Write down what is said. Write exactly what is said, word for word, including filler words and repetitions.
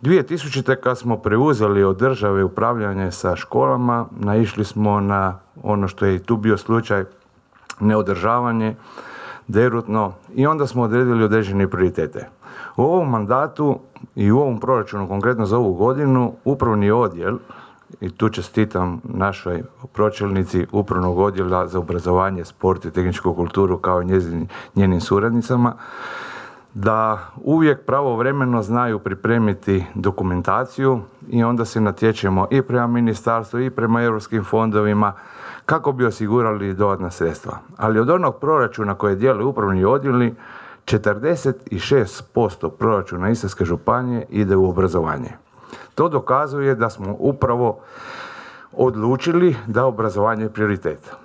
dvije tisućite. kad smo preuzeli od države upravljanje sa školama, naišli smo na ono što je i tu bio slučaj, neodržavanje, derutno, i onda smo odredili određene prioritete. U ovom mandatu i u ovom proračunu, konkretno za ovu godinu, upravni odjel, i tu čestitam našoj pročelnici upravnog odjela za obrazovanje, sport i tehničku kulturu kao i njezin, njenim suradnicama, da uvijek pravovremeno znaju pripremiti dokumentaciju i onda se natječemo i prema ministarstvu i prema europskim fondovima kako bi osigurali dodatna sredstva. Ali od onog proračuna koje dijele upravni odjeli, četrdeset šest posto proračuna Istarske županije ide u obrazovanje. To dokazuje da smo upravo odlučili da obrazovanje je prioritet.